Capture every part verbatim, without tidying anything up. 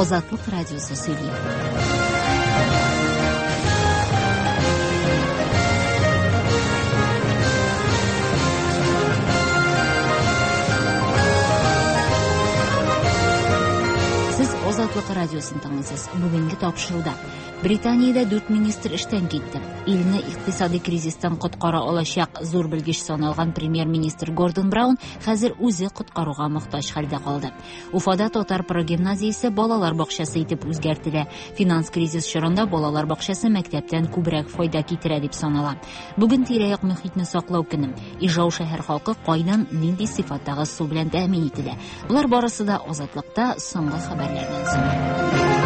Азатлык радиосы сөйли. Сез Азатлык радиосын тыңлыйсыз. Бүгенге тапшыруда Британиядә дүрт министр эштән китте. Илне икътисади кризистан коткара алачак зур белгеч саналган премьер-министр Гордон Браун хәзер үзе коткаруга мохтаҗ хәлдә калды. Уфада татар прогимназиясе балалар бакчасы итеп үзгәртелә. Финанс кризис чорында балалар бакчасы мәктәптән күбрәк файда китерә дип санала. Бүген тирә-як мөхитне саклау көне. Ижау шәһәр халкы кайдан нинди сыйфаттагы су белән тәэмин ителә. Болар барысы да Азатлыкта соңгы хәбәрләрдән соң.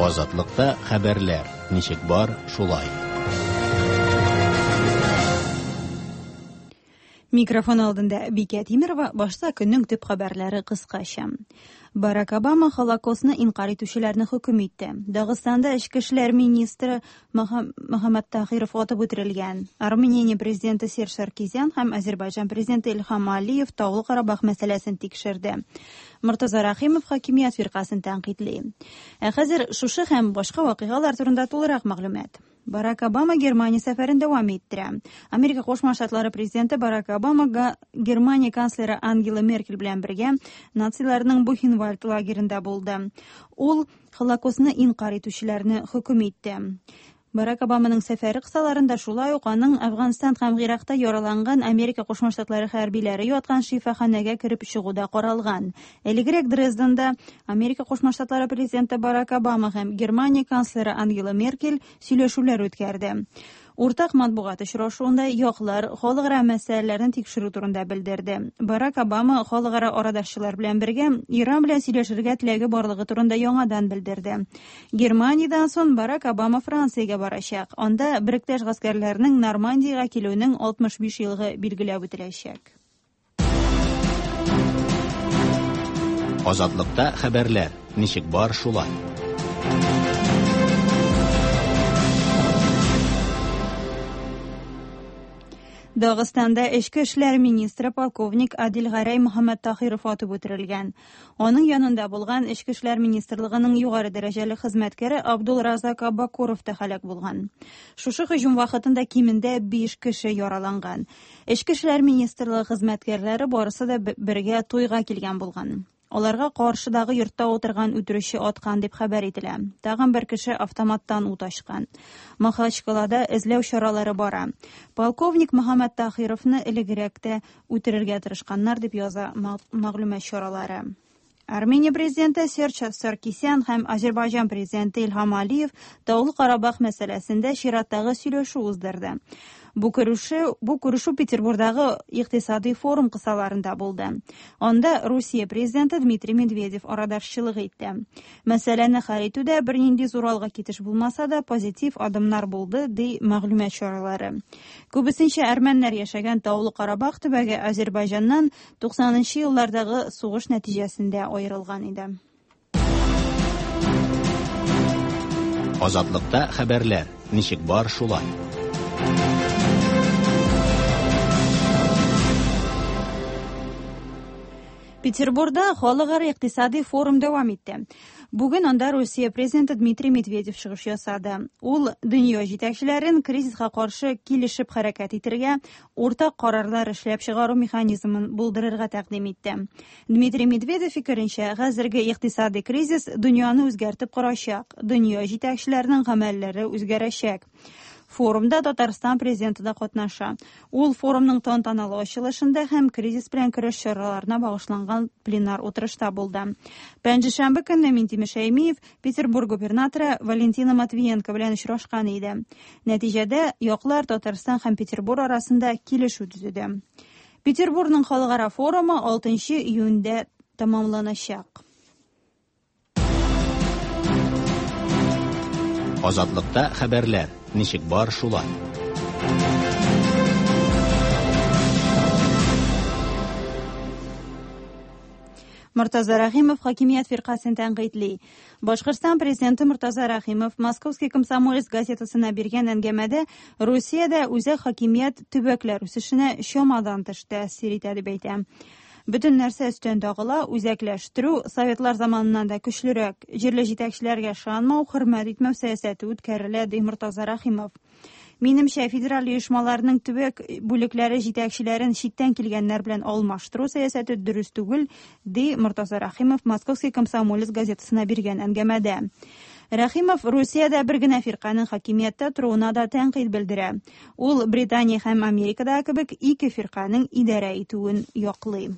Азатлыкта хәбәрләр ничек бар, шулай. Микрофон алдында Бикә Тимирова, башта көннең төп хәбәрләре кыскача. Барак Обама Холокостны инкар итүчеләрне хөкем итте. Дагыстанда эчке эшләр министры Мөхәммәд Тахиров атып үтерелгән. Армения президенты Серж Саркисян һәм Азербайҗан президенты Илһам Алиев Таулы Карабах мәсьәләсен тикшерде. Мортаза Рахимов хакимият фиркасын тәнкыйтьли. Ә хәзер шушы һәм башка вакыйгалар турында тулырак мәгълүмат. Барак Обама Германия сәфәрен дәвам иттерә. Америка Кушма Штатлары президенты Барак Обама Германия канцлеры Ангела Меркель белән бергә нациларның Бухенвальд лагерында булды. Ул Холокостны инкар итүчеләрне хөкем итте. Барак Обаманың сәфәре кысаларында шулай ук аның Афганстан һәм Иракта яраланган Америка Кушма Штатлары хәрбиләре яткан шифаханәгә кереп чыгуда каралган. Элегрәк Дрезденда Америка Кушма Штатлары президенты Барак Обама һәм Германия канцлеры Ангела Меркель сөйләшүләр үткәрде. Уртак матбугат очрашуында яклар халыкара мәсьәләләрен тикшерү турында белдерде. Барак Обама халыкара арадашчылар белән бергә Иран белән сөйләшергә теләге барлыгы турында яңадан белдерде. Германиядән соң Барак Обама Франциягә барачак. Анда Бректәш гаскәрләренең Нормандиягә килүенең алтмыш биш еллыгы билгеләп үтеләчәк. Азатлыкта хәбәрләр ничек бар, шулай. Дагыстанда эчке эшләр министры полковник Адил Гәрәй Мөхәммәд Тахиров атып үтерелгән. Аның янында булган эчке эшләр министрлыгының югары дәрәҗәле хезмәткәре Абдулразак Абакуров та һәлак булган. Шушы һөҗүм вакытында кимендә биш кеше яраланган. Эчке эшләр министрлыгы хезмәткәрләре барысы да бергә туйга килгән булган. Аларга каршыдагы йортта утырган үтерүче аткан дип хәбәр ителә. Тагын бер кеше автоматтан ут ачкан. Махачкалада эзләү чаралары бара. Полковник Мөхәммәд Тахировны элегрәк тә үтерергә тырышканнар дип яза мәгълүмат чаралары. Армения президенты Серж Саркисян һәм Азербайҗан президенты Илһам Алиев Таулы Карабах мәсьәләсендә чираттагы сөйләшү уздырды. Бу күрешү, бу күрешү Петербургдагы икътисади форум кысаларында булды. Анда Русия президенты Дмитрий Медведев арадашчылык итте. Мәсьәләне хәл итүдә бернинди зур алга китеш булмаса да, позитив адымнар булды, ди мәгълүмат чаралары. Күбесенчә әрмәннәр яшәгән Таулы Карабах төбәге Азербайҗаннан туксанынчы еллардагы сугыш нәтиҗәсендә аерылган иде. Азатлыкта хәбәрләр ничек бар, шулай. Петербургда халыкара икътисади форум дәвам итте. Бүген анда Русия президенты Дмитрий Медведев чыгыш ясады. Ул дөнья җитәкчеләрен кризиска каршы килешеп хәрәкәт итәргә, уртак карарлар эшләп чыгару механизмын булдырырга тәкъдим итте. Дмитрий Медведев фикеренчә, хәзерге икътисади кризис дөньяны үзгәртеп корачак, дөнья җитәкчеләренең гамәлләре үзгәрәчәк. Форумда Татарстан президенты да катнаша. Ул форумның тантаналы ачылышында һәм кризис белән көрәш чараларына багышланган пленар утырышта булды. Пәнҗешәмбе көнне Минтимер Шәймиев Петербург губернаторы Валентина Матвиенко белән очрашкан иде. Нәтиҗәдә яклар Татарстан һәм Петербург арасында килешү төзеде. Петербургның халыкара форумы алтынчы июньдә тәмамланачак. Азатлыкта хәбәрләр ничек бар, шулай. Мортаза Рахимов хакимият фиркасын тәнкыйтьли. Башкортстан президенты Мортаза Рахимов «Московский комсомолец» газетасына биргән әңгәмәдә Русиядә үзәк хакимият төбәкләр үсешенә чамадан тыш тәэсир итә дип әйтә. Бөтен нәрсә өстән тагыла, үзәкләштерү советлар заманыннан да көчлерәк, җирле җитәкчеләргә ышанмау, хөрмәт итмәү сәясәте үткәрелә, ди Мортаза Рахимов. Минемчә, федераль оешмаларның төбәк бүлекләре җитәкчеләрен читтән килгәннәр белән алмаштыру сәясәте дөрес түгел, ди Мортаза Рахимов «Московский комсомолец» газетасына биргән әңгәмәдә. Рахимов Русиядә бер генә фирканең хакимияттә торуына да тәнкыйть белдерә. Ул Британия һәм Америкадагы кебек ике фирканең идарә итүен яклый.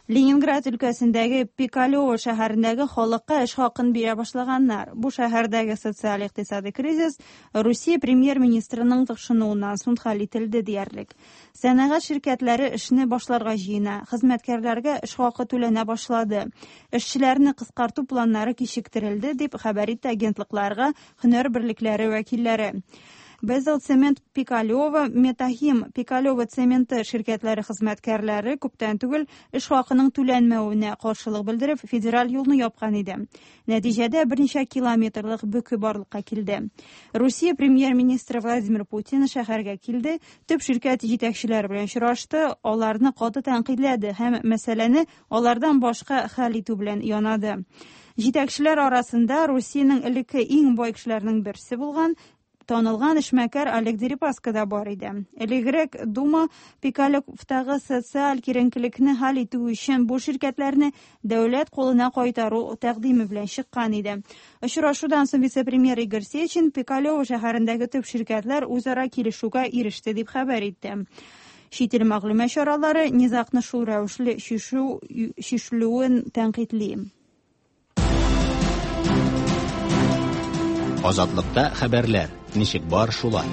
Ленинград өлкәсендәге Пикалево шәһәрендәге халыкка эш хакын бирә башлаганнар. Бу шәһәрдәге социаль-икътисади кризис Русия премьер-министрының тыкшынуыннан соң хәл ителде диярлек. Сәнәгать ширкәтләре эшне башларга җыена, хезмәткәрләргә эш хакы түләнә башлады. Эшчеләрне кыскарту планнары кичектерелде, дип хәбәр итте агентлыкларга һөнәр берлекләре вәкилләре. Безел цемент Пикалево, Метахим Пикалево цементы ширкәтләре хезмәткәрләре күптән түгел эш хакының түләнмәвенә каршылык белдереп федераль юлны япкан иде. Нәтиҗәдә берничә километрлык бөке барлыкка килде. Русия премьер-министры Владимир Путин шәһәргә килде, төп ширкәт җитәкчеләре белән очрашты, аларны каты тәнкыйтьләде һәм мәсьәләне алардан башка хәл итү белән янады. Җитәкчеләр арасында Русиянең элекке иң бай кешеләренең берсе булган танылган эшмәкәр Олег Дерипаска да бар иде. Элегрәк Дума Пикалевтагы социаль киеренкелекне хәл итү өчен бу ширкәтләрне дәүләт кулына кайтару тәкъдиме белән чыккан иде. Очрашудан соң вице-премьер Игорь Сечин Пикалево шәһәрендәге төп ширкәтләр үзара килешүгә иреште дип хәбәр итте. Чит ил мәгълүмат чаралары низагны шул рәвешле чишү чишелүен тәнкыйтьли. Азатлыкта хәбәрләр ничек бар шулай.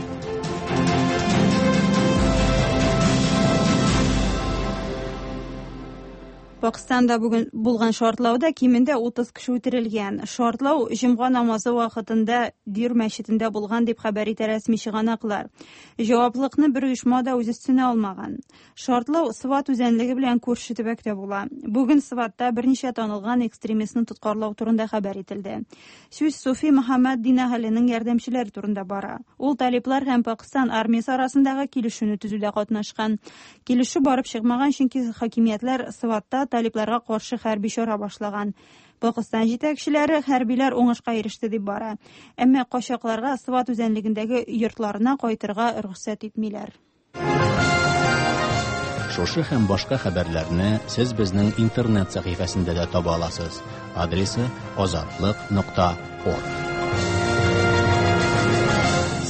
Пакистанда бүген булган шартлауда кимендә утыз кеше үтерелгән. Шартлау җомга намазы вакытында Дир мәчетендә булган дип хәбәр итә рәсми чыганаклар. Җаваплылыкны бер оешма да үз өстенә алмаган. Шартлау Сват үзәнлеге белән күрше төбәктә була. Бүген Сватта берничә танылган экстремистны тоткарлау турында хәбәр ителде. Сүз Суфи Мөхәммәд Динаһалының ярдәмчеләре турында бара. Ул талиплар һәм Пакистан армиясе арасындагы килешүне төзүдә катнашкан. Килешү барып чыкмаган, чөнки хакимиятләр Сватта талипларга каршы хәрби чара башлаган. Пакистан җитәкчеләре хәрбиләр уңышка иреште дип бара. Әмма качакларга Сват үзәнлегендәге йортларына кайтырга рөхсәт итмиләр. Шушы һәм башка хәбәрләрне сез безнең интернет сәхифәсендә дә таба аласыз. Адресы азатлык нокта орг.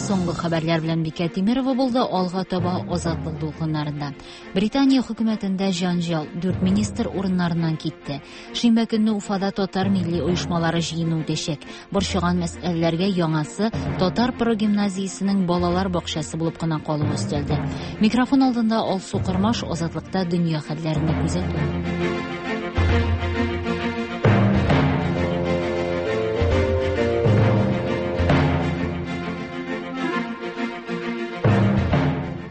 Соңгы хәбәрләр белән Бикә Тимирова булды. Алга таба Азатлык дулкыннарында. Британия хөкүмәтендә җанҗал, дүрт министр урыннарыннан китте. Шимбә көнне Уфада татар милли оешмалары җыены үтәчәк. Борчыган мәсьәләләргә яңасы татар прогимназиясенең балалар бакчасы булып кына калуы өстәлде. Микрофон алдында Алсу Кырмаш, Азатлыкта дөнья хәлләрен күзәтү.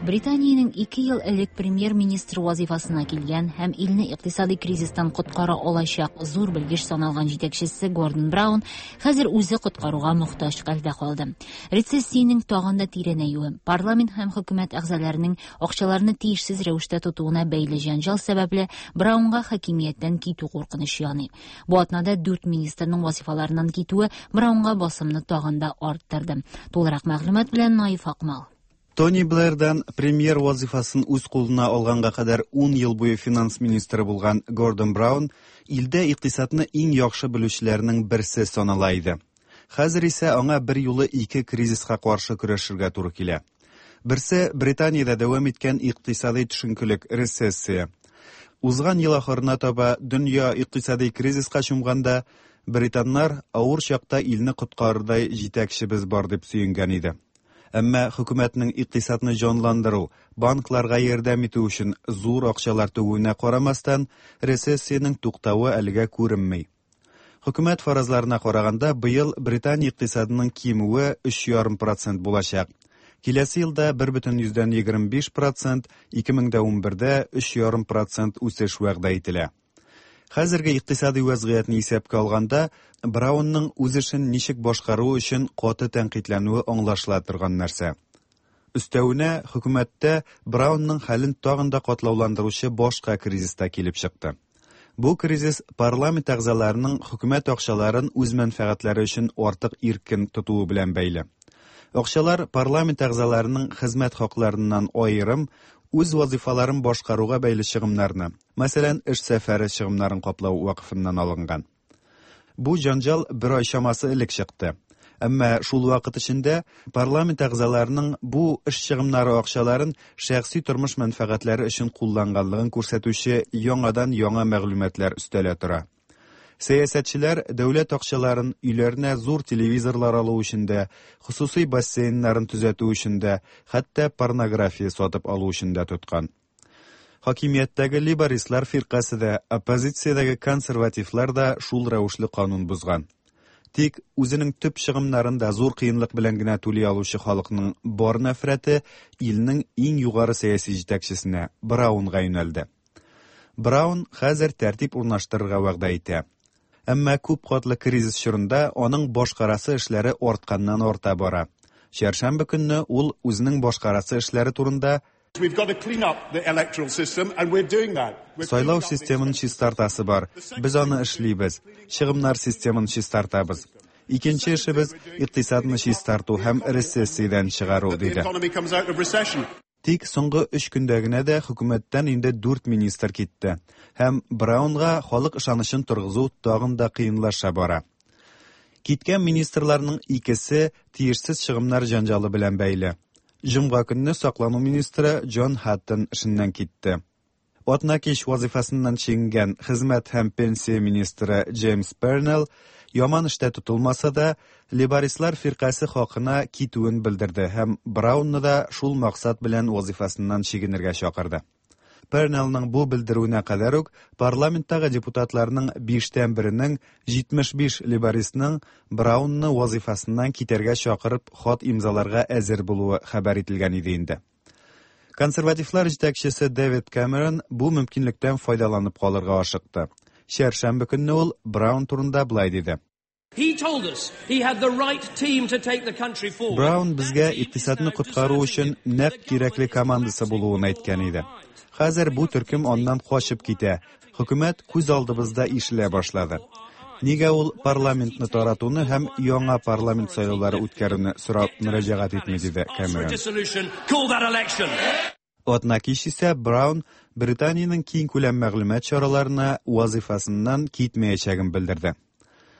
Британиянең ике ел элек премьер-министр вазифасына килгән һәм илне икътисади кризистан коткара алачак зур белгеч саналган җитәкчесе Гордон Браун хәзер үзе коткаруга мохтаҗ хәлдә калды. Рецессиянең тагын да тирәнәюе, парламент һәм хөкүмәт әгъзаларының акчаларны тиешсез рәвештә тотуына бәйле җәнҗал сәбәпле Браунга хакимияттән китү куркынычы яный. Бу атнада дүрт министрның вазифаларыннан китүе Браунга басымны тагын да арттырды. Тулырак мәгълүмат белән Наиф Акмал. Тони Блэрдан премьер вазифасын үз кулына алганга кадәр ун ел буе финанс министры булган Гордон Браун илдә икътисадны иң яхшы белүчеләрнең берсе санала иде. Хәзер исә аңа бер юлы ике кризиска каршы көрәшергә туры килә. Берсе Британиядә дәвам иткән икътисади төшенкелек, рецессия. Узган ел ахырына таба дөнья икътисади кризиска чумганда, британнар авыр чакта илне коткарырдай җитәкчебез бар дип сөенгән иде. Әмма хөкүмәтнең икътисадны җанландыру, банкларга ярдәм итү өчен зур акчалар түгүенә карамастан, рецессиянең туктавы әлегә күренми. Хөкүмәт фаразларына караганда, быел Британия икътисадының кимүе өч ярым процент булачак. Киләсе елда бер бөтен йөздән егерме биш процент, ике мең дә унбердә өч ярым процент үсеш вәгъдә ителә. Хәзерге икътисади вәзгыятьне исәпкә алганда, Браунның үз эшен ничек башкаруы өчен каты тәнкыйтьләнүе аңлашыла торган нәрсә. Өстәвенә, хөкүмәттә Браунның хәлен тагын да катлауландыручы башка кризис та килеп чыкты. Бу кризис парламент әгъзаларының хөкүмәт акчаларын үз мәнфәгатьләре өчен артык иркен тотуы белән бәйле. Акчалар парламент әгъзаларының хезмәт хакларыннан аерым үз вазифаларын башкаруга бәйле чыгымнарны, мәсәлән, эш сәфәре чыгымнарын каплау вакыфыннан алынган. Бу җанҗал бер ай чамасы элек чыкты. Әмма шул вакыт эчендә парламент әгъзаларының бу эш чыгымнары акчаларын шәхси тормыш мәнфәгатьләре өчен кулланганлыгын күрсәтүче яңадан яңа мәгълүматлар өстәлә тора. Сәясәтчеләр дәүләт акчаларын өйләренә зур телевизорлар алу өчен дә, хосусый бассейннарын төзәтү өчен дә, хәтта порнография сатып алу өчен дә тоткан. Хакимияттәге лейбористлар фиркасе дә, оппозициядәге консервативлар да шул рәвешле канун бозган. Тик үзенең төп чыгымнарын да зур кыенлык белән генә түли алучы халыкның бар нәфрәте илнең иң югары сәяси җитәкчесенә Браунга юнәлде. Браун хәзер тәртип урнаштырырга вәгъдә итә. Әмма күп катлы кризис чорында аның башкарасы эшләре артканнан арта бара. Чәршәмбе көнне ул үзенең башкарасы эшләре турында Сайлау системын чистартасы бар. Без аны эшлибез. Чыгымнар системын чистартабыз. Икенче эшебез икътисадны чистарту һәм рецессиядән чыгару, диде. Тик соңгы өч көндә генә дә хөкүмәттән инде дүрт министр китте. Һәм Браунга халык ышанычын торгызу тагын да кыенлаша бара. Киткән министрларның икесе тиешсез чыгымнар җанҗалы белән бәйле. Җомга көнне саклану министры Джон Хаттон эшеннән китте. Атна кич вазифасыннан чигенгән хезмәт һәм пенсия министры Джеймс Пернелл яман эштә тотылмаса да, лейбористлар фиркасе хакына китүен белдерде һәм Браунны да шул максат белән вазифасыннан чигенергә чакырды. Пернеллның бу белдерүенә кадәр үк парламенттагы депутатларның биштән беренең җитмеш биш лейбористның Браунны вазифасыннан китәргә чакырып хат имзаларга әзер булуы хәбәр ителгән иде инде. Консервативлар җитәкчесе Дэвид Кэмерон бу мөмкинлектән файдаланып калырга ашыкты. Чәршәмбе көнне ул Браун турында былай диде. Браун безгә икътисадны коткару өчен нәкъ кирәкле командасы булуын әйткән иде. Хәзер бу төркем аннан качып китә. Хөкүмәт күз алдыбызда ишелә башлады. Нигә ул парламентны таратуны һәм яңа парламент сайлаулары үткәрүне сорап мөрәҗәгать итми, диде Кэмерон. Атна кич исә Браун Британиянең киң күләм мәгълүмат чараларына вазифасыннан китмәячәген белдерде.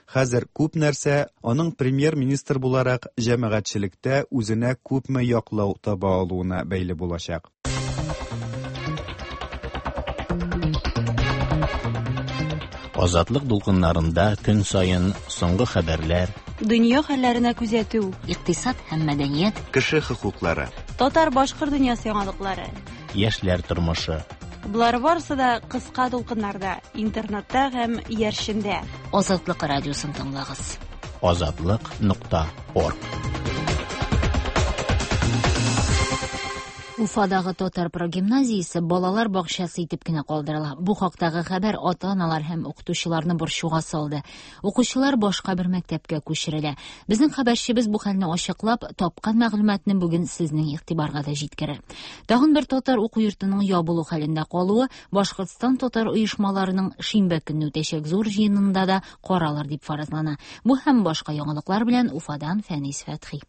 Хәзер күп нәрсә аның премьер-министр буларак җәмәгатьчелектә үзенә күпме яклау таба алуына бәйле булачак. Азатлык дулкыннарында көн саен соңгы хәбәрләр, дөнья хәлләренә күзәтү, икътисад һәм мәдәният, кеше хокуклары, татар-башкорт дөньясы яңалыклары, яшьләр тормышы. Болар барысы да кыска дулкыннарда, интернетта һәм иярчендә. Азатлык радиосын тыңлагыз. Азатлык нокта орг. Уфадагы татар прогимназиясе балалар бакчасы итеп кенә калдырыла. Бу хактагы хәбәр ата-аналар һәм укытучыларны борчуга салды. Укучылар башка бер мәктәпкә күчерелә. Безнең хәбәрчебез бу хәлне ачыклап, тапкан мәгълүматны бүген сезнең игътибарга да җиткерер. Тагын бер татар уку йортының ябылу хәлендә калуы Башкортстан татар оешмаларының шимбә көнне үтәчәк зур җыенында да каралыр дип фаразлана. Бу һәм башка яңалыклар белән Уфадан Фәнис Фәтхи.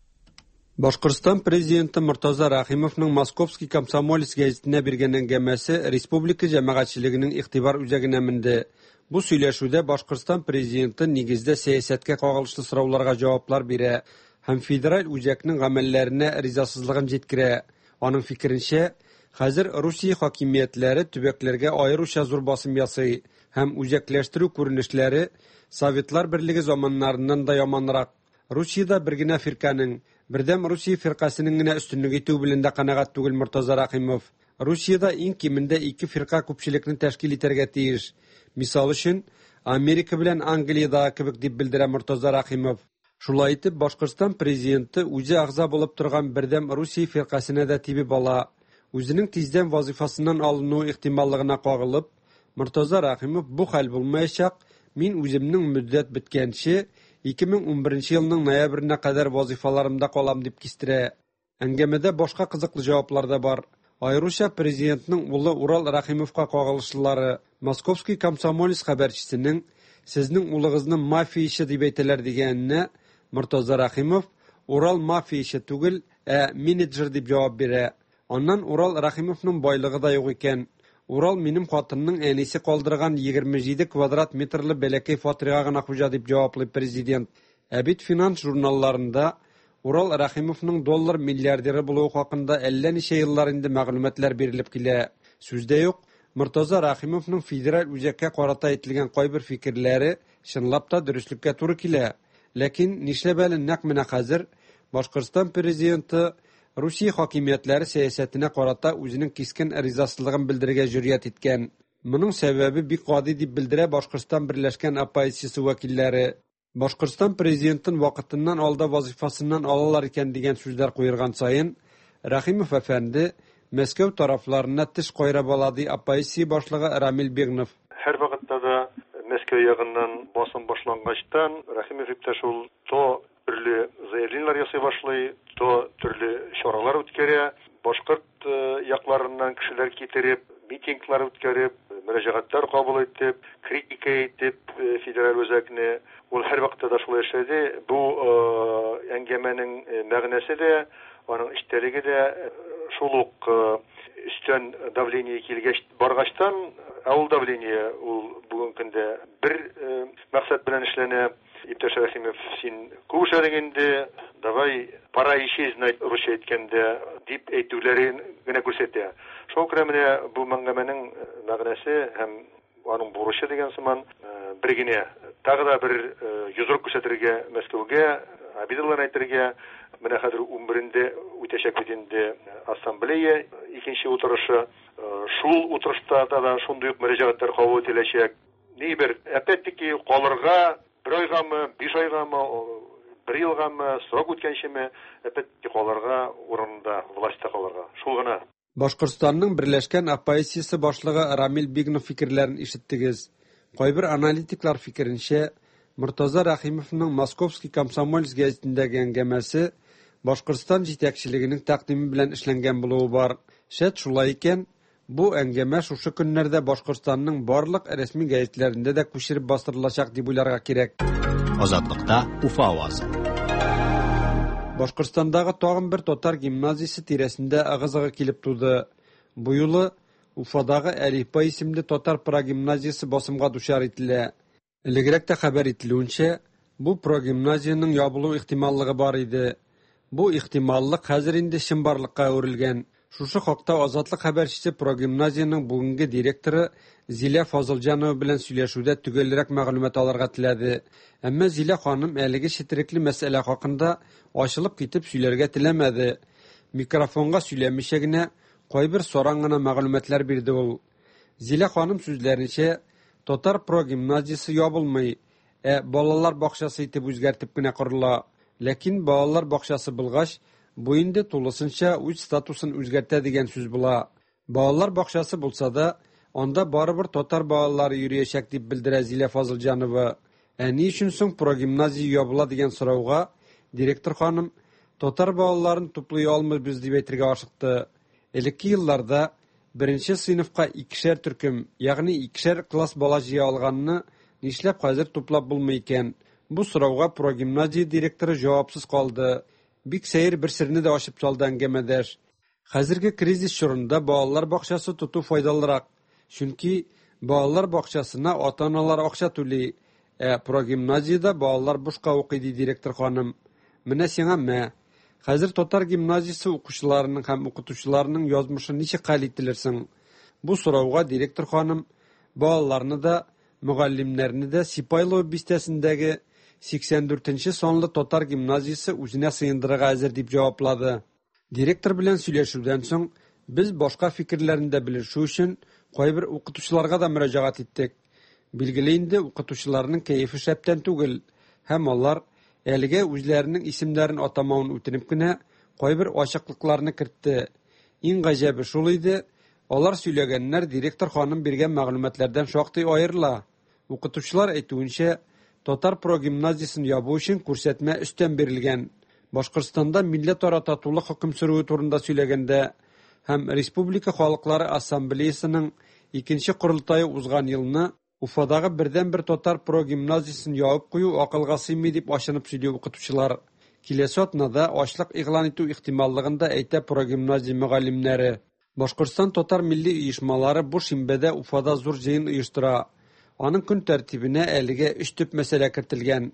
Башкортстан президенты Муртаза Рахимовның Московский комсомолец гәзитенә биргән әңгәмәсе республика җәмәгатьчелегенең игътибар үзәгенә менде. Бу сөйләшүдә Башкортстан президенты нигездә сәясәткә кагылышлы сорауларга җаваплар бирә һәм федераль үзәкнең гамәлләренә ризасызлыгын җиткерә. Аның фикеренчә, хәзер Русия хакимиятләре төбәкләргә аеруча зур басым ясый һәм үзәкләштерү күренешләре Советлар Берлеге заманнарыннан да яманрак. Русиядә бер генә фирканең, Бердәм Русия фиркасының генә өстенлек итүе белән дә канәгать түгел Муртаза Рахимов. Русиядә иң кимендә ике фирка күпчелекне тәшкил итәргә тиеш. Мисал өчен, Америка белән Англиядә кебек дип белдерә Муртаза Рахимов. Шулай итеп, Башкортстан президенты үзе әгъза булып торган Бердәм Русия фиркасына да тибеп ала. Үзенең тиздән вазифасыннан алыну ихтималлыгына кагылып, Мортаза Рәхимов бу хәл булмаячак, мин үземнең мөддәт беткәнче ике мең унберенче елның ноябренә кадәр вазифаларымда калам дип кистерә. Әңгәмәдә башка кызыклы җаваплар да бар. Аеруча президентның улы Урал Рәхимовка кагылышлылары. Московский комсомолец хәбәрчесенең сезнең улыгызны мафия ише дип әйтәләр дигәненә Мортаза Рәхимов Урал мафия ише түгел, ә менеджер дип җавап бирә. Аннан Урал Рәхимовның байлыгы да юк икән. Урал минем хатынның әнисе калдырган егерме җиде квадрат метрлы бәләкәй фатирга гына хуҗа дип җаваплый президент. Ә бит финанс журналларында Урал Рәхимовның доллар миллиардеры булуы хакында әллә ничә еллар инде мәгълүматлар бирелеп килә. Сүз дә юк, Мортаза Рәхимовның федераль үзәккә карата әйтелгән кайбер фикерләре чынлап та дөреслеккә туры килә. Ләкин нишләп әле нәкъ менә хәзер Башкортстан президенты Русия хакимиятләре сәясәтенә карата үзенең кискен ризасызлыгын белдерергә җөрьәт иткән. Моның сәбәбе бик гади дип белдерә Башкортстан Берләшкән оппозициясе вәкилләре. Башкортстан президентын вакытыннан алда вазифасыннан алалар икән дигән сүзләр куерган саен Рәхимов әфәнде Мәскәү тарафларына теш кайрап ала, ди оппозиция башлыгы Рамил Бигнов. Һәр вакытта да Мәскәү ягыннан басым башлангачтан Рәхимов иптәш ул то төрле заявлениеләр ясый башлый, то төрле чаралар үткәрә, башкорт якларыннан кешеләр китереп, митинглар үткәреп, мөрәҗәгатьләр кабул итеп, критика итеп федераль үзәкне. Ул һәр вакытта да шулай эшләде. Бу әңгәмәнең мәгънәсе дә, аның эчтәлеге дә шул ук өстән давление килгәч баргачтан, ә ул давление ул бүгенге көндә бер максат белән эшләнә. Иптәш Рәхимов, син күп эшләдең инде, давай пора исчезнуть, русча әйткәндә, дип әйтүләрен генә күрсәтә. Шуңа күрә менә бу әңгәмәнең мәгънәсе һәм аның бурычы дигән сыман бер генә, тагы да бер йодрык күрсәтергә Мәскәүгә, обидалар әйтергә. Менә хәзер унберендә үтәчәк бит инде ассамблея икенче утырышы. Шул утырышта да шундый ук мөрәҗәгатьләр кабул ителәчәк. Ни бер, опять-таки, калырга бер айгамы, биш айгамы, бер елгамы, срок үткәнчеме, опять-таки калырга урында, властьта калырга. Шул гына. Башкортстанның Берләшкән оппозициясе башлыгы Рамил Бигнов фикерләрен ишеттегез. Кайбер аналитиклар фикеренчә, Мортаза Рәхимовның Московский комсомолец гәзитендәге әңгәмәсе Башкортстан җитәкчелегенең тәкъдиме белән эшләнгән булуы бар. Шәт шулай икән, бу әңгәмә шушы көннәрдә Башкортстанның барлык рәсми гәзитләрендә дә күчереп бастырылачак дип уйларга кирәк. Азатлыкта Уфа авазы. Башкортстандагы тагын бер татар гимназиясе тирәсендә ыгы-зыгы килеп туды. Бу юлы Уфадагы Әлифба исемле татар прогимназиясе басымга дучар ителә. Элегрәк тә хәбәр ителүенчә, бу прогимназиянең ябылу ихтималлыгы бар иде. Бу ихтималлык хәзер инде чынбарлыкка әверелгән. Шушы хакта Азатлык хәбәрчесе прогимназиянең бүгенге директоры Зилә Фазылҗанова белән сөйләшүдә төгәлрәк мәгълүмат алырга теләде. Әмма Зилә ханым әлеге четерекле мәсьәлә хакында ачылып китеп сөйләргә теләмәде. Микрофонга сөйләмичә генә кайбер саран гына мәгълүматлар бирде ул. Зилә ханым сүзләренчә, татар прогимназиясе ябылмый, ә балалар бакчасы итеп үзгәртеп кенә корыла. Ләкин балалар бакчасы булгач, бу инде тулысынча үз статусын үзгәртә дигән сүз була. Балалар бакчасы булса да, анда барыбер татар балалары йөриячәк дип белдерә Зилә Фазылҗанова. Ә ни өчен соң прогимназия ябыла дигән сорауга директор ханым татар балаларын туплый алмыйбыз дип әйтергә ашыкты. Элекке елларда беренче сыйныфка икешәр төркем, ягъни икешәр класс бала җыя алганны нишләп хәзер туплап булмый икән? Бу сорауга прогимназия директоры җавапсыз калды. Бик сәер бер серне дә ачып салды әңгәмәдәш. Хәзерге кризис чорында балалар бакчасы тоту файдалырак. Чөнки балалар бакчасына ата-аналар акча түли, ә прогимназиядә балалар бушка укый, ди директор ханым. Менә сиңа мә. Хәзер татар гимназиясе укучыларының һәм укытучыларының язмышы ничек хәл ителерсең? Бу сорауга директор ханым балаларны да, мөгаллимнәрне дә Сипайлово бистәсендәге сиксән дүртенче санлы татар гимназиясе үзенә сыендырырга әзер дип җаваплады. Директор белән сөйләшүдән соң без башка фикерләрен дә белешү өчен кайбер укытучыларга да мөрәҗәгать иттек. Билгеле инде, укытучыларның кәефе шәптән түгел һәм алар әлегә үзләренең исемнәрен атамавын үтенеп кенә кайбер ачыклыкларны кертте. Иң гаҗәбе шул иде, Алар сөйләгәннәр директор ханым биргән мәгълүматлардан шактый аерыла. Укытучылар әйтүенчә, татар прогимназиясен ябу өчен күрсәтмә өстән бирелгән. Башкортстанда милләтара татулык хөкем сөрүе турында сөйләгәндә һәм Республика халыклары ассамблеясының икенче корылтае узган елны Уфадагы бердәнбер татар прогимназиясен ябып кую акылга сыймый дип ачынып сөйли укытучылар. Киләсе атнада ачлык игълан итү ихтималлыгын да әйтә прогимназия мөгаллимнәре. Башкортстан татар милли оешмалары бу шимбәдә Уфада зур җыен оештыра. Аның көн тәртибенә әлегә өч төп мәсьәлә кертелгән.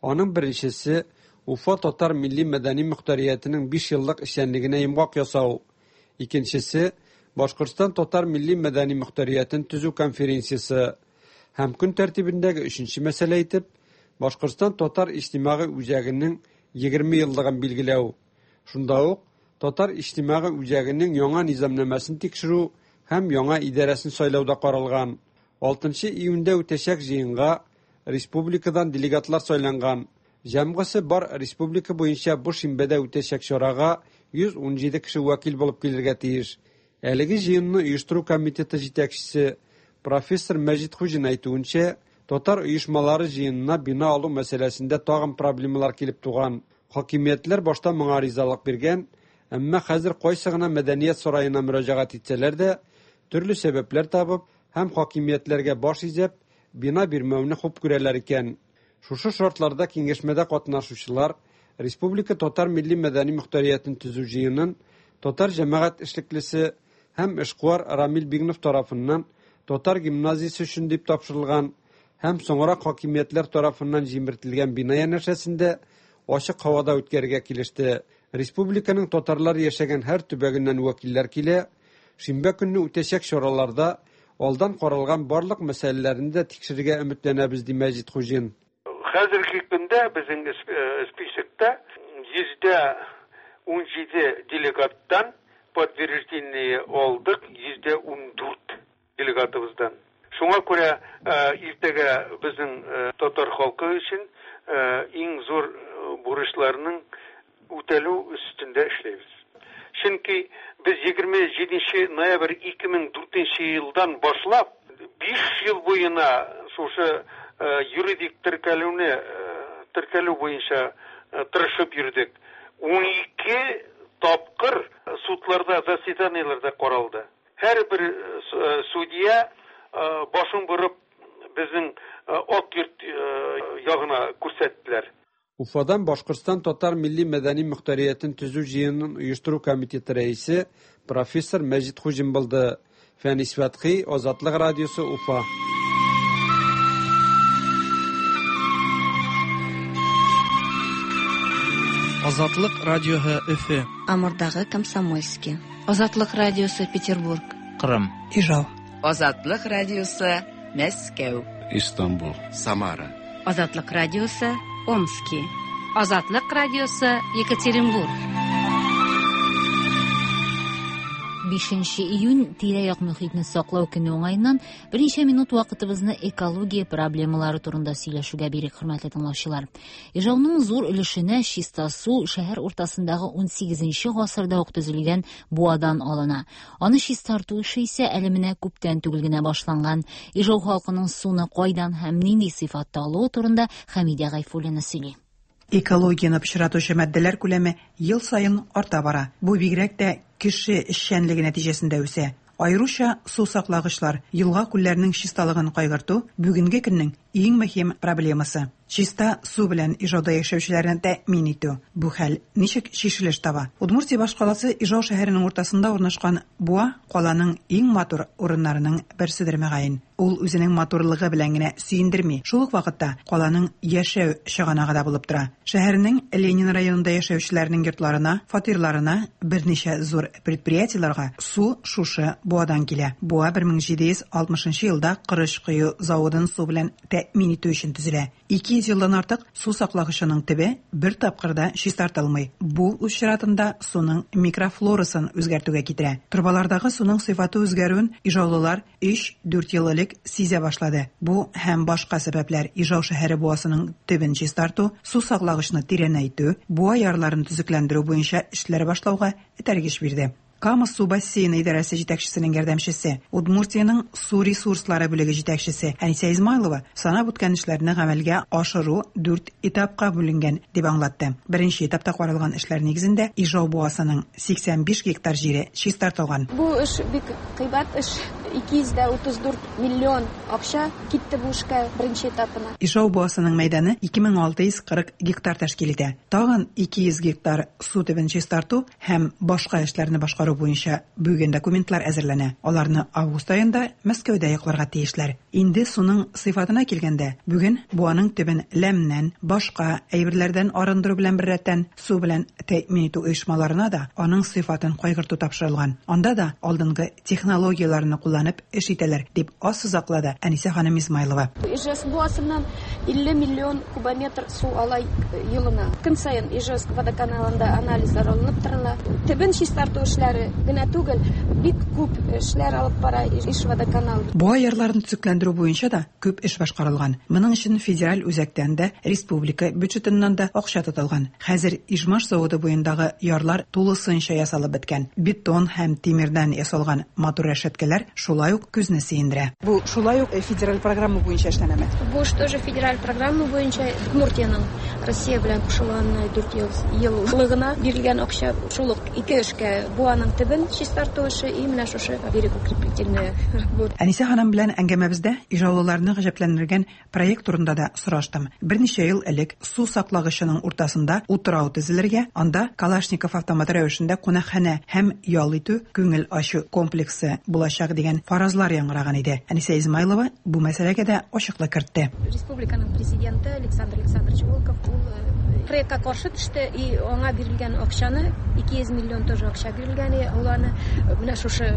Аның беренчесе Уфа татар милли мәдәни мөхтәриятенең биш еллык эшчәнлегенә йомгак ясау. Икенчесе Башкортстан татар милли мәдәни мөхтәриятен төзү конференциясе. Һәм көн тәртибендәге өченче мәсьәлә итеп Башкортстан татар иҗтимагый үзәгенең егерме еллыгын билгеләү. Шунда ук татар иҗтимагый үзәгенең яңа низамнамәсен тикшерү һәм яңа идарәсен сайлау да каралган. Алтынчы июньдә үтәчәк җыенга республикадан делегатлар сайланган. Җәмгысе бар республика буенча бу шимбәдә үтәчәк чарага йөз ун җиде кеше вәкил булып килергә тиеш. Әлеге җыенны оештыру комитеты җитәкчесе профессор Мәҗит Хуҗин әйтүенчә, татар оешмалары җыенына бина алу мәсьәләсендә тагын проблемалар килеп туган. Хакимиятләр башта моңа ризалык биргән, әмма хәзер кайсы гына мәдәният сараена мөрәҗәгать итсәләр дә, төрле сәбәпләр табып һәм хакимиятләргә баш изәп, бина бирмәүне хуп күрәләр икән. Шушы шартларда киңәшмәдә катнашучылар Республика татар милли мәдәни мөхтәриятен төзү җыенын татар җәмәгать эшлеклесе һәм эшкуар Рамил Бигнов тарафыннан татар гимназиясе өчен дип тапшырылган һәм соңрак хакимиятләр тарафыннан җимертелгән бина янәшәсендә ачык һавада үткәрергә килеште. Республиканың татарлар яшәгән һәр төбәгеннән вәкилләр килә. Шимбә көнне үтәчәк чараларда алдан каралган барлык мәсьәләләрне дә тикшерергә өметләнәбез, ди Мәҗит Хуҗин. Хәзерге көндә безнең списокта йөздә ун җиде делегаттан подтверждение алдык, йөздә ун дүрт делегатыбыздан. Шуңа күрә иртәгә безнең татар халкы өчен иң зур бурычларның үтәлү өстендә эшләйбез. Чөнки без егерме җиденче ноябрь ике мең дүртенче елдан башлап биш ел буена шушы юридик теркәлүне теркәлү буенча тырышып йөрдек. Ун ике тапкыр судларда, заседаниеләрдә каралды. Һәрбер судья башын борып безнең Ак йорт ягына күрсәттеләр. Уфадан Башкортстан татар милли мәдәни мөхтәриятен төзү җыенын оештыру комитеты рәисе профессор Мәҗит Хуҗин булды. Фәнис Фәтхи, Азатлык радиосы, Уфа. Азатлык радиосы Өфе. Амурдагы Комсомольский. Азатлык радиосы Петербург. Кырым. Ижау. Азатлык радиосы Мәскәү. Истанбул. Самара. Азатлык радиосы Омски. Азатлык радиосы Екатеринбург. Бишенче июнь тирә-як мөхитне саклау көне уңаеннан берничә минут вакытыбызны экология проблемалары турында сөйләшүгә бирик, хөрмәтле тыңлаучылар. Ижауның зур өлешенә чиста су шәһәр уртасындагы ун сигезенче гасырда ук төзелгән буадан алына. Аны чистарту эше исә әле менә күптән түгел генә башланган. Ижау халкының суны кайдан һәм нинди сыйфатта алуы турында Хәмидә Гайфуллина сөйли. Экологияны пычратучы матдәләр күләме ел саен арта бара. Бу бигрәк тә кеше эшчәнлеге нәтиҗәсендә үсә. Аеруча су саклагычлар, елга күлләренең чисталыгын кайгырту бүгенге көннең иң мөһим проблемасы. Чиста су белән Ижауда яшәүчеләрне тәэмин итү. Бу хәл ничек чишелеш таба? Удмуртия башкаласы Ижау шәһәренең уртасында урнашкан буа каланың иң матур урыннарының берседер мөгаен. Ул үзенең матурлыгы белән генә сөендерми. Шул ук вакытта каланың яшәү чыганагы да булып тора. Шәһәрнең Ленин районында яшәүчеләрнең йортларына, фатирларына, берничә зур предприятиеләргә су шушы буадан килә. Буа бер мең җиде йөз алтмышынчы елда Корыч кою заводын су белән тәэмин итү өчен төзелә. Ике йөз елдан артык су саклагычының төбе бер тапкыр да чистартылмый. Бу үз чиратында суның микрофлорасын үзгәртүгә китерә. Торбалардагы суның сыйфаты үзгәрүен ижаулылар өч-дүрт ел элек сизә башлады. Бу һәм башка сәбәпләр Ижау шәһәре буасының төбен чистарту, су саклагычны тирәнәйтү, буа ярларын төзекләндерү буенча эшләр башлауга этәргеч бирде. Кама су бассейны идарәсе җитәкчесенең ярдәмчесе, Удмуртиянең су ресурслары бүлеге җитәкчесе Әнисә Измайлова санап үткән эшләрне гамәлгә ашыру дүрт этапка бүленгән дип аңлатты. Беренче этапта каралган эшләр нигезендә Ижау буасының сиксән биш гектар җире чистартылган. Бу эш бик кыйбат эш. ике йөз дә утыз дүрт миллион акча китте бу эшкә беренче этапына. Ижау буасының мәйданы ике мең алты йөз кырык гектар тәшкил итә. Тагын ике йөз гектар су төбен чистарту һәм башка эшләрне башкару буенча бүген документлар әзерләнә. Аларны август аенда Мәскәүдә якларга тиешләр. Инде суның сыйфатына килгәндә, бүген буаның төбен ләмнән, башка әйберләрдән арындыру белән беррәттән су белән тәэмин итү оешмаларына да аның сыйфатын кайгырту тапшырылган. Анда да алдынгы технологияләрне кулланып эш итәләр, дип ассызыклады Әнисә ханым Измайлова. Ижевск буасыннан илле миллион кубометр су ала елына. Көн саен Ижевск водоканалында анализлар алынып торыла. Төбен чистарту эшләре генә түгел, бик күп эшләр алып бара Ижводоканал. Буа ярларын төзекләндерү буенча да күп эш башкарылган. Моның өчен федераль үзәктән дә, республика бюджетыннан да акча тотылган. Хәзер Ижмаш заводы буендагы ярлар тулысынча ясалып беткән. Бетон һәм тимердән ясалган матур рәшәткәләр шулай ук күзне сөендерә. Бу шулай ук федераль программа буенча эшләнәме? Бу эш тоже федераль программа буенча Удмуртиянең Россия белән кушылганына дүрт еллыгына бирелгән акча шул ук ике эшкә: буаның төбен чистарту эше и менә шушы берегоукрепительная работа. Әнисә ханым белән әңгәмәбездә ижаулыларны гаҗәпләндергән проект турында да сораштым. Берничә ел элек су саклагычының уртасында утрау төзелергә, анда Калашников автоматы рәвешендә кунакханә һәм ял итү, күңел ачу комплексы булачак дигән фаразлар яңгыраган иде. Әнисә Измайлова бу мәсьәләгә дә ачыклык кертте. Республиканың президенты Александр Александрович Волков ул проектка каршы төште и аңа бирелгән акчаны ике йөз миллион тоже акча бирелгән, ул аны менә шушы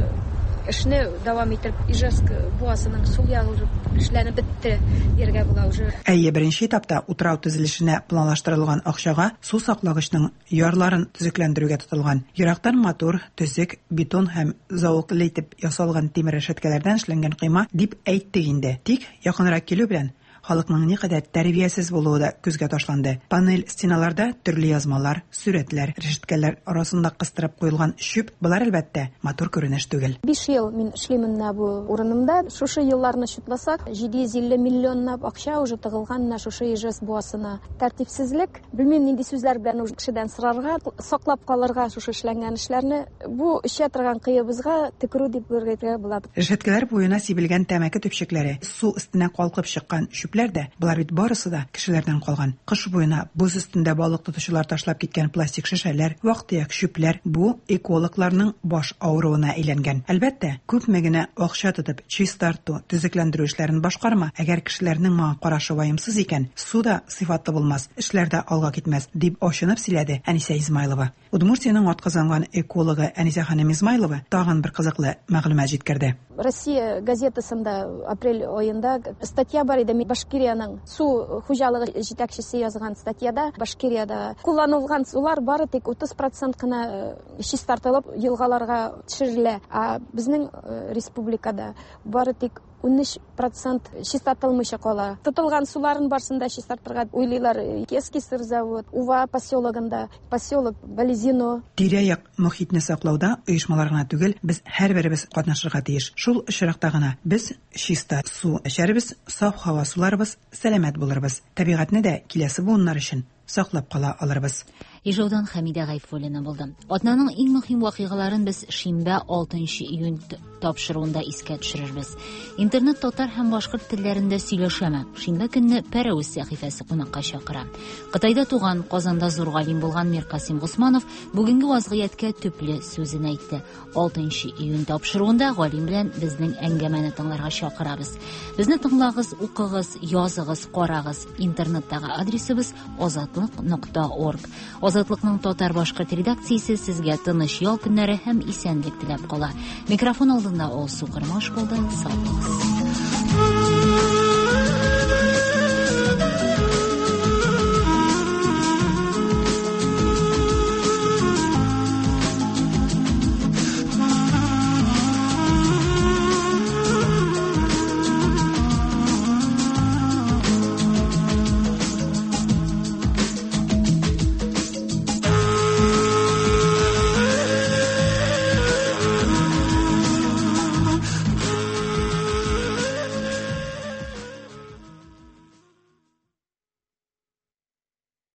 эшне дәвам итеп Ижевск буасының сул ягы эшләнеп бетте дияргә була уже. Әйе, беренче этапта утрау төзелешенә планлаштырылган акчага су саклагычның ярларын төзекләндерүгә тотылган. Ерактан матур, төзек, бетон һәм зәвыклы итеп ясалган тимер рәшәткәләрдән эшләнгән койма дип әйттек инде. Тик якынрак килү белән халыкның никадәр тәрбиясез булуы да күзгә ташланды. Панель стеналарда төрле язмалар, сүрәтләр, рәшәткәләр арасында кыстырып куелган чүп, болар әлбәттә матур күренеш түгел. Биш ел мин эшлимен менә бу урынымда. Шушы елларны чутласак, җиде йөз илле миллионлап акча уже тыгылган менә шушы Ижевск буасына. Тәртипсезлек, белмим нинди сүзләр белән уже кешедән сорарга, саклап калырга шушы эшләнгән эшләрне, бу эчә торган кыебызга төкерү дип әйтергә була. Рәшәткәләр буена сибелгән тәмәке төпчекләре, су өстенә калкып чыккан чүп дә, болар бит барысы да кешеләрдән калган. Кыш буена боз өстендә балык тотучылар ташлап киткән пластик шешәләр, вак-төяк чүпләр бу экологларның баш авыруына әйләнгән. Әлбәттә, күпме генә акча тотып чистарту, төзекләндерү эшләрен башкарма, әгәр кешеләрнең моңа карашы ваемсыз икән, су да сыйфатлы булмас, эшләр дә алга китмәс, дип ачынып сөйләде Әнисә Измайлова. Удмуртиянең атказанган экологы Әнисә ханым Измайлова тагын бер кызыклы мәгълүмат җиткерде. Россия газетасында апрель аенда статья бар иде. Башкириянең су хуҗалыгы җитәкчесе язган статьяда Башкириядә кулланылган сулар бары тик утыз процент кына чистартылып елгаларга төшерелә. Ә безнең республикада бары тик ун өч процент чистартылмыйча кала. Тотылган суларын барсын да чистартырга уйлыйлар. Кески сырзавод, Ува поселогында, поселок Балезино. Тирә-як мохитне саклауда оешмалар гына түгел, без һәрберебез катнашырга тиеш. Шул очракта гына без чиста су эчәрбез, саф һава суларбыз, сәламәт булырбыз. Табигатьне дә киләсе буыннар өчен саклап кала алырбыз. Ижаудан Хәмидә Гайфуллина булды. Атнаның иң мөһим вакыйгаларын без шимбә алтынчы июнь тапшыруында искә төшерербез. Интернет татар һәм башкорт телләрендә сөйләшәме? Шимбә көнне Пәрәвез сәхифәсе кунакка чакыра. Кытайда туган, Казанда зур галим булган Миркасим Госманов бүгенге вазгыятькә төпле сүзен әйтте. алтынчы июнь тапшыруында галим белән безнең әңгәмәне тыңларга чакырабыз. Безне тыңлагыз, укыгыз, языгыз, карагыз. Интернеттагы адресыбыз азатлык нокта орг. Азатлыкның татар башкорт редакциясе сезгә тыныч ял көннәре һәм исәнлек теләп кала. Микрофон алдында Алсу Кырмаш булды. Сау булыгыз.